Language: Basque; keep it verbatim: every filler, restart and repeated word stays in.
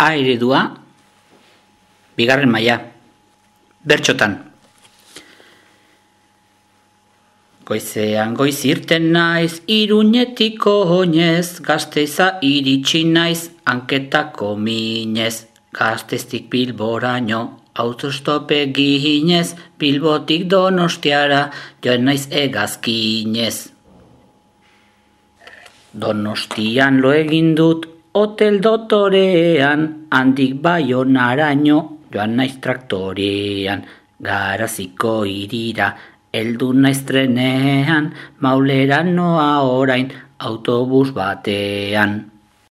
A eredua, bigarren maila. Bertxotan. Goizean goiz irten naiz, Iruñetiko oinez, Gasteiza iritsi naiz, hanketako minez. Gasteiztik Bilboraino, autostope ginez, Bilbotik Donostiara, joan naiz hegazkinez. Donostian lo egin dut, hotel dotorean, handik Baionaraino, joan naiz traktorean. Garaziko irira, heldu naiz trenean, Maulera noa orain, autobus batean.